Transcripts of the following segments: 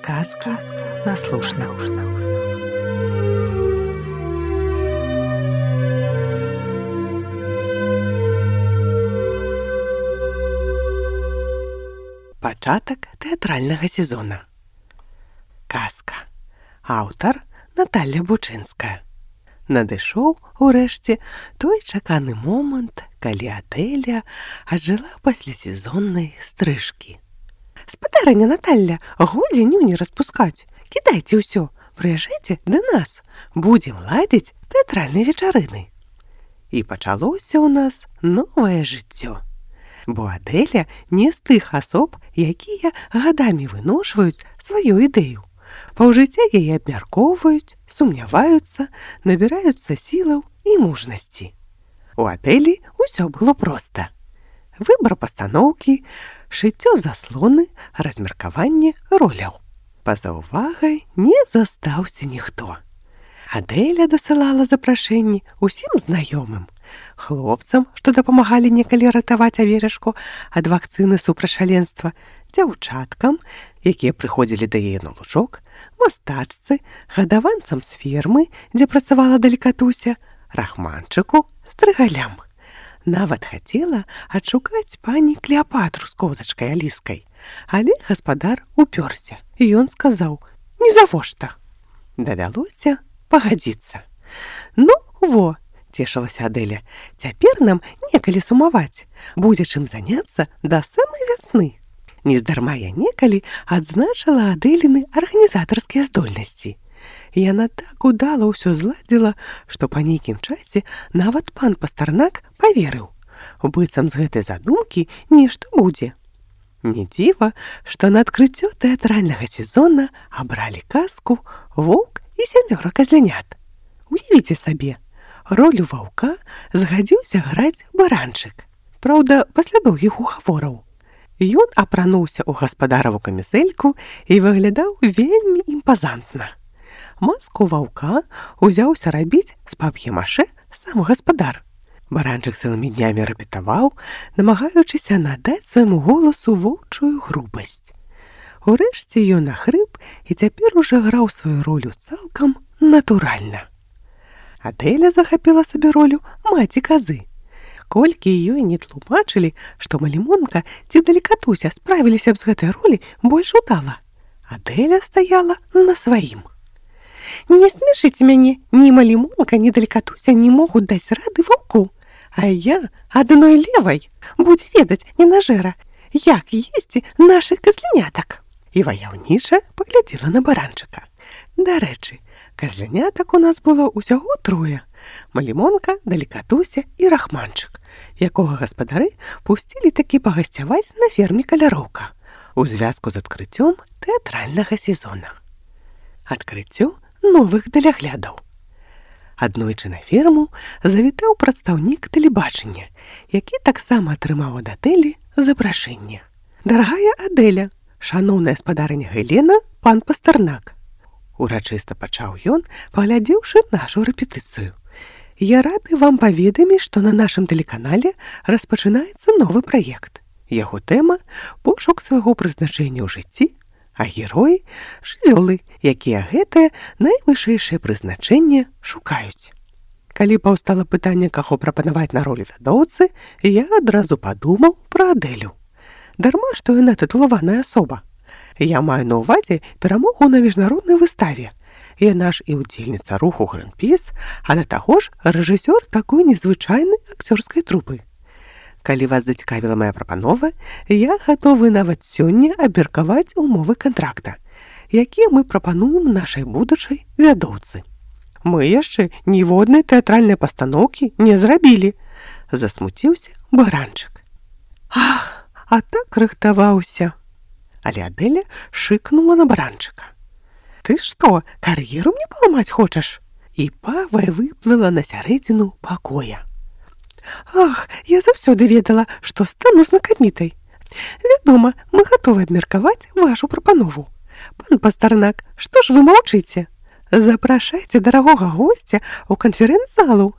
Сказки на слушна. Пачатак тэатральнага сезона. Казка. Аўтар Наталля Бучынская. Надышоў, урэшце, той чаканы момант, калі Адэля ажыла пасля сезоннай стрыжкі. «Спадарыня Наталля, годзе нюні распускаць. Кідайце ўсё, прыязджайце да нас. Будзем ладзіць тэатральнай вечарыны». І пачалося ў нас новае жыццё. Бо Адэля не з тых асоб, якія гадамі выношваюць сваю ідэю. Паўжыцця яе абмяркоўваюць, сумняваюцца, набіраюцца сілаў і мужнасці. У Адэлі ўсё было проста. Выбар пастаноўкі, шыццё заслоны, размеркаванне роляў. Па-за ўвагай не застаўся ніхто. Адэля дасылала запрашэнні ўсім знаёмым, хлопцам, што дапамагалі некалі ратаваць аверашку ад вакцыны супраць шаленства, дзяўчаткам, якія прыходзілі да яе на лужок, мастачцы, гадаванцам з фермы, дзе працавала далікатуся, рахманчыку, стрыгалям. Нават хацела адшукаць пані Клеапатру з козачкай Аліскай, але гаспадар упёрся, і ён сказаў: «Не завошта». Давялося пагадзіцца. «Ну, во», – цешылася Адэля, – «цяпер нам некалі сумаваць, будзе чым заняцца да самай вясны». Нездарма я некалі адзначыла Адэліны арганізатарскія здольнасці. Яна так удала ўсё зладзіла, што па нейкім часе нават пан Пастарнак паверыў. Быццам з гэтай задумкі нешта будзе. Не дзіва, што на адкрыццё тэатральнага сезона абралі казку «Воўк і сямёра казлянят». Уявіце сабе, ролю ваўка згадзіўся граць баранчык. Праўда, пасля доўгіх угавораў. Ён апрануўся ў гаспадараву камізэльку і выглядаў вельмі імпазантна. Маску ваўка узяўся рабіць з пап'е-машэ сам гаспадар. Баранчык цэлымі днямі рэпетаваў, намагаючыся надаць свайму голасу воўчую грубасць. Урэшце ён ахрып і цяпер ужо граў сваю ролю цалкам натуральна. Адэля захапіла сабе ролю маці казы. Колькі ёй не тлумачылі, што малімонка ці далікатуся справіліся б з гэтай ролі больш удала. Адэля стаяла на сваім. «Не смешыце мяне, ні малімонка, ні далікатуся не могуць даць рады ваўку, а я адной левай будзе ведаць ненажэра, як есці нашых казлянятак». І ваяўніча паглядзела на баранчыка. Дарэчы, казлянятак у нас было ўсяго трое: малімонка, далікатуся і рахманчык, якога гаспадары пусцілі такі пагасцяваць на ферме Каляроўка у звязку з адкрыццём тэатральнага сезона. Адкрыццё новых даляглядаў. Аднойчы на ферму завітаў прадстаўнік тэлебачання, які таксама атрымаў ад Адэлі запрашэнне. «Дарагая Адэля, шаноўная спадарыня Гелена, пан Пастарнак», – урачыста пачаў ён, паглядзеўшы нашу рэпетыцыю. «Я рады вам паведаміць, што на нашым тэлеканале распачынаецца новы праект. Яго тэма – пошук свайго прызначэння ў жыцці, а героі – жывёлы, якія гэтае найвышэйшае прызначэнне шукаюць». Калі паўстала пытанне, каго прапанаваць на ролі вядоўцы, я адразу падумаў пра Адэлю. Дарма, што яна тытулаваная асоба. Я маю на ўвазе перамогу на міжнароднай выставе. Яна ж і ўдзельніца руху «Грынпіс», а да таго ж рэжысёр такой незвычайнай акцёрскай трупы. Калі вас зацікавіла мая прапанова, я гатовы нават сёння абмеркаваць умовы кантракта, якія мы прапануем нашай будучай вядоўцы. Мы яшчэ ніводнай тэатральнай пастаноўкі не зрабілі, засмуціўся баранчык. Ах, а так рыхтаваўся. Але Адэля шыкнула на баранчыка. «Ты што, кар'еру мне паламаць хочаш?» І павай выплыла на сярэдзіну пакоя. «Ах, я заўсёды ведала, што стану знакамітай. Вядома, мы гатовы абмеркаваць вашу прапанову. Пан Пастарнак, што ж вы маўчыце? Запрашайце дарагога госця ў канферэнц-залу».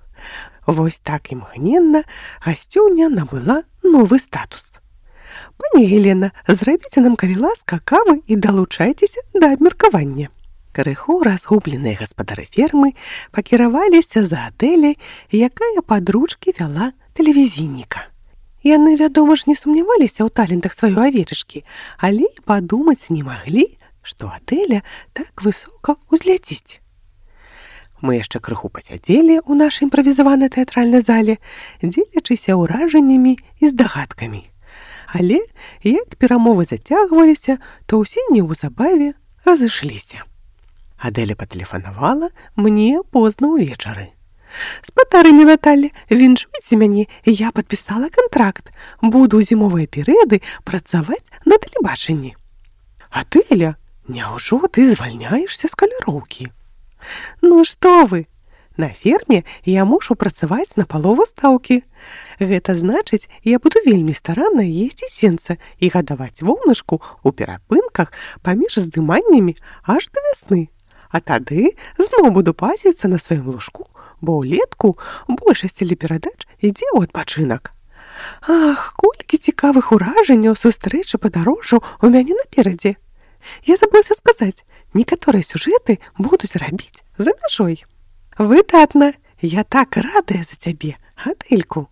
Вось так імгненна гасцёўня набыла новы статус. Пані Гелена, зрабіце нам, калі ласка, кавы і далучайцеся да абмеркавання. Крыху разгубленыя гаспадары фермы пакіраваліся за Адэляй, якая пад ручкі вяла тэлевізійніка. Яны, вядома ж, не сумняваліся ў талентах сваёй авечачкі, але і падумаць не маглі, што Адэля так высока ўзляціць. Мы яшчэ крыху пасядзелі ў нашай імправізаванай тэатральнай зале, дзелячыся ўражаннямі і здагадкамі. Але, як перамовы зацягваліся, то ўсе неўзабаве разышліся. Адэля патэлефанавала мне позна ўвечары. «Спадарыня Наталля, віншуйце мяне, я падпісала кантракт. Буду ў зімовыя перыяды працаваць на тэлебачанні». «Адэля, няўжо ты звальняешся з каляроўкі?» «Ну што вы? На ферме я мушу працаваць на палову стаўкі. Гэта значыць, я буду вельмі старанна есці сенца і гадаваць воўначку ў перапынках паміж здыманнямі аж да вясны. А тады зноў буду пасіцца на сваім лужку, бо ўлетку большасць телеперадач ідзе ў адпачынак. Ах, колькі цікавых уражанняў сустрэчы падарожжаў у мяне наперадзе. Я забылася сказаць, некаторыя сюжэты будуць рабіць за мяжой». «Выдатна! Я так радая за цябе, Адэльку!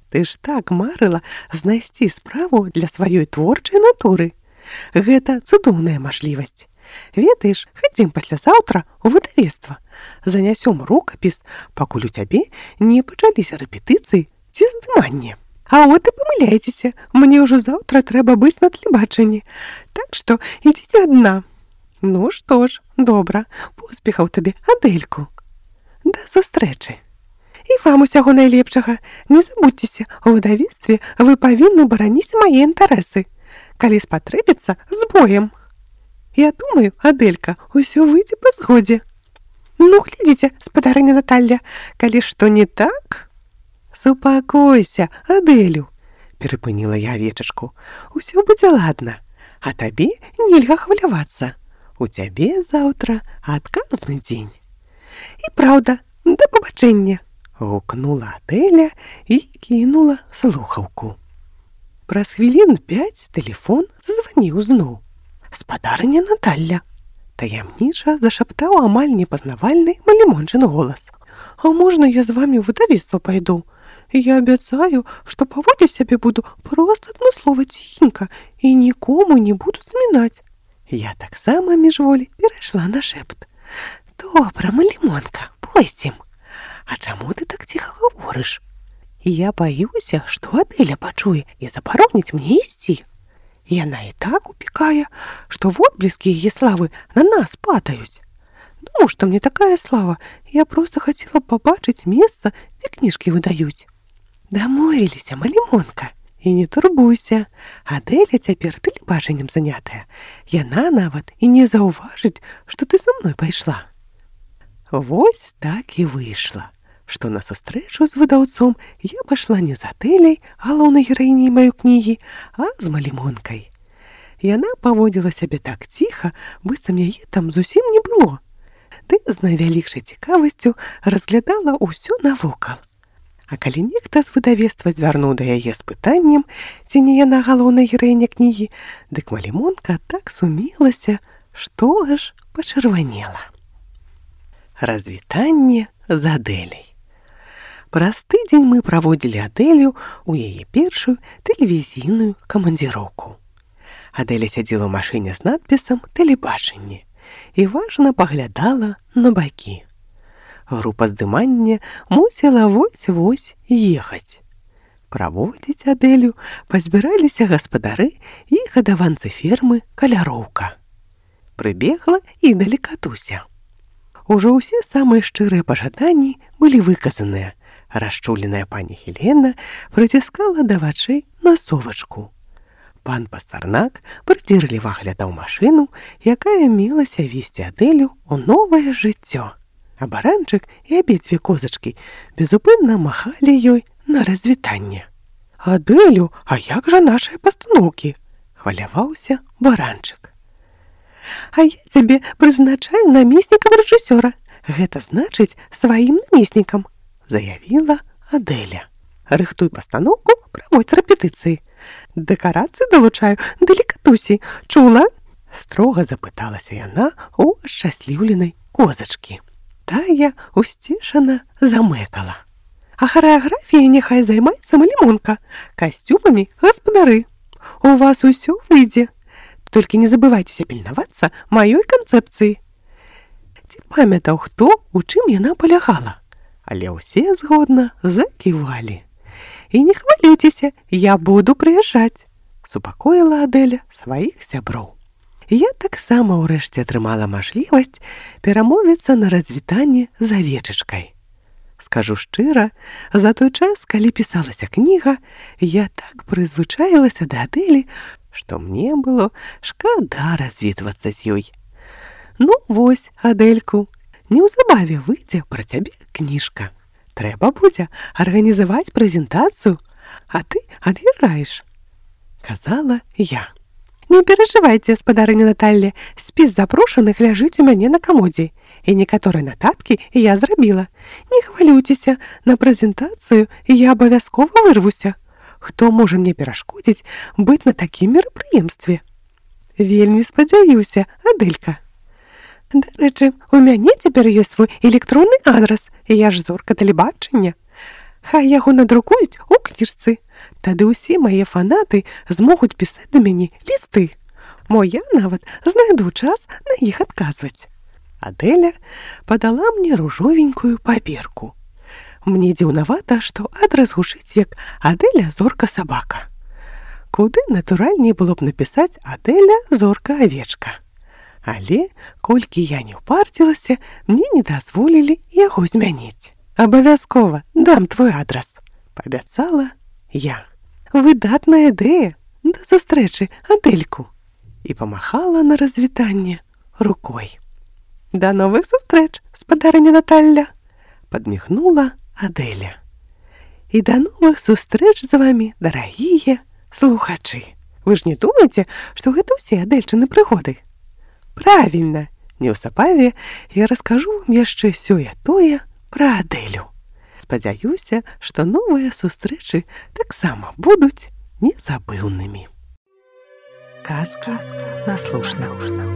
Ты ж так марыла знайсці справу для сваёй творчай натуры. Гэта цудоўная мажлівасць. Ведаеш, хадзім паслязаўтра ў выдавецтва. Занясём рукапіс, пакуль у цябе не пачаліся рэпетыцыі ці здыманне. А от і памыляйцеся, мне ўжо заўтра трэба быць на тэлебачанні. Так што ідзіце адна». «Ну што ж, добра, поспехаў табе, Адэльку. Да сустрэчы. І вам усяго найлепшага. Не забудзьцеся, у выдавецтве вы павінны бараніць мае інтарэсы. Калі спатрэбіцца, з боем. Я думаю, Адэлька, усё выйдзе па згодзе». «Ну, глядзіце, спадарыня Наталля, калі што не так...» «Супакойся, Адэлю», — перапыніла я авечачку. «Усё будзе ладна, а табе нельга хвалявацца. У цябе заўтра адказны дзень». «І праўда, да пабачэння», — гукнула Адэля і кінула слухаўку. Праз хвілін 5 тэлефон зазваніў зноў. «Спадарыня Наталля», — таямніча зашаптаў амаль непазнавальны малімончын голас. «А можна я з вамі ў выдавецтва пайду? Я абяцаю, што паводзіць сябе буду проста адмыслова ціхенька і нікому не буду змінаць». Я таксама міжволі перайшла на шэпт. «Добра, малімонка, пойдзем. А чаму ты так ціха гаворыш? Я баюся, што Адэля пачуе і забароніць мне ісці. Яна і так упікае, што водбліскі яе славы на нас падаюць. Ну, што мне такая слава, я проста хацела пабачыць месца, дзе кніжкі выдаюць». «Дамовіліся, малімонка, і не турбуйся. Адэля цяпер тэлебачаннем занятая. Яна нават і не заўважыць, што ты са мной пайшла». Вось так і выйшла, што на сустрэчу з выдаўцом я пайшла не за Адэлей, галоўнай гераіняй маёй кнігі, а з малімонкай. Яна паводзіла сябе так ціха, быццам яе там зусім не было. Ды з найвялікшай цікавасцю разглядала ўсё навокал. А калі нехта з выдавецтва звярнуў да яе з пытаннем, ці не яна галоўная гераіня кнігі, дык малімонка так сумелася, што аж пачырванела. Развітанне з Адэлей. Праз тыдзень мы праводзілі Адэлю ў яе першую тэлевізійную камандзіроўку. Адэля сядзела ў машыне з надпісам «Тэлебачанне» і важна паглядала на бакі. Група здымання мусіла вось-вось ехаць. Праводзіць Адэлю пазбіраліся гаспадары і гадаванцы фермы Каляроўка. Прыбегла і далекатуся. Ужо ўсе самыя шчырыя пажаданні былі выказаныя. Расчуленая пані Гелена прыціскала да вачэй насовачку. Пан Пастарнак прыдзірліва глядаў машыну, якая мелася весці Адэлю ў новае жыццё. А баранчык і абедзве козачкі безупынна махалі ёй на развітанне. «Адэлю, а як жа нашыя пастаноўкі?» — хваляваўся баранчык. «А я цябе прызначаю намеснікам рэжысёра. Гэта значыць сваім намеснікам», — заявіла Адэля. «Рыхтуй пастаноўку, праводзь рэпетыцыі. Дэкарацыі далучаю, далікатусей. Чула? Строга запыталася яна у ашчасліўленай козачкі. Тая усцішана замэкала. А харэаграфіяй няхай займаецца малімонка, касцюмамі гаспадары. У вас усё выйдзе. Толькі не забывайцеся пільнавацца маёй канцэпцыі. Ці памятаў хто, у чым яна палягала? Але ўсе згодна заківалі. І не хвалюйцеся, я буду прыязджаць, супакоіла Адэля сваіх сяброў. Я таксама ўрэшце атрымала мажлівасць перамовіцца на развітанне з авечачкай. Скажу шчыра, за той час, калі пісалася кніга, я так прызвычаілася да Адэлі, што мне было шкада развітвацца з ёй. Ну вось, Адэльку, неўзабаве выйдзе пра цябе кніжка. Трэба будзе арганізаваць прэзентацыю, а ты ад'язджаеш, казала я. Не перажывайце, гаспадарыня Наталля, спіс запрошаных ляжыць у мяне на камодзе, і некаторыя нататкі я зрабіла. Не хвалюйцеся, на прэзентацыю я абавязкова вырвуся. Хто можа мне перашкодзіць быць на такім мерапрыемстве? Вельмі спадзяюся, Адэлька. Дарэчы, у мяне цяпер ёсць свой электронны адрас, я ж зорка тэлебачання. Хай яго надрукуюць у кніжцы. Тады ўсе мае фанаты змогуць пісаць да мяне лісты. Мо я нават знайду час на іх адказваць. Адэля падала мне ружовенькую паперку. Мне дзіўнавата, што адрас гучыць як Адэля зорка сабака. Куды натуральней было б напісаць Адэля зорка авечка. Але, колькі я не ўпарцілася, мне не дазволілі яго змяніць. Абавязкова дам твой адрас, паабяцала я. Выдатная ідэя, да сустрэчы, Адэльку. І памахала на развітанне рукой. Да новых сустрэч, гаспадарыня Наталля, падмігнула Адэля. І да новых сустрэч з вамі, дарагія слухачы. Вы ж не думаеце, што гэта ўсе Адэльчыны прыгоды? Правільна, неўзабаве я раскажу вам яшчэ сёе-тое пра Адэлю. Спадзяюся, што новыя сустрэчы таксама будуць незабыўнымі. Казка наслушна.